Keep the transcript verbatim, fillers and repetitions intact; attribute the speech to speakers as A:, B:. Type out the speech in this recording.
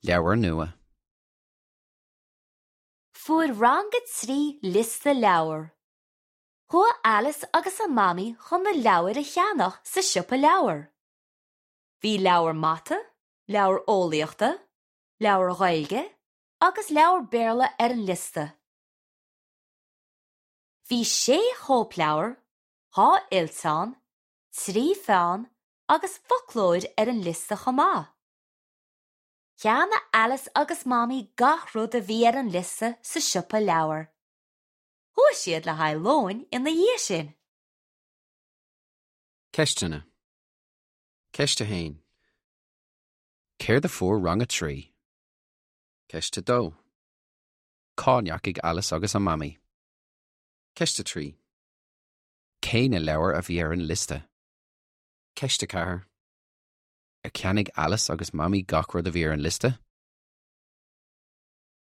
A: Leabhar nua.
B: Fuair rang a trí liosta leabhar. Chuaigh Alice agus a mamaí chun na leabhair a cheannach sa siopa leabhar. Bhí leabhar mata, leabhar eolaíochta, leabhar Gaeilge agus leabhar Béarla ar an liosta. Bhí sé chóipleabhar, dhá fhillteán, trí pheann agus foclóir ar an liosta chomh maith. Cheannaigh Alice agus Mamaí gach rud a bhí ar an liosta sa siopa leabhar. Chuaigh siad le haghaidh lóin ina dhiaidh sin.
A: Ceisteanna. Ceist a haon. Céard a fuair rang a trí? Ceist a dó. Cá ndeachaigh Alice agus a mamaí? Ceist a trí. Cé na leabhair a bhí ar an liosta? Ceist a ceathair. Ar cheannaigh Alice agus Mamaí gach rud a bhí ar an liosta?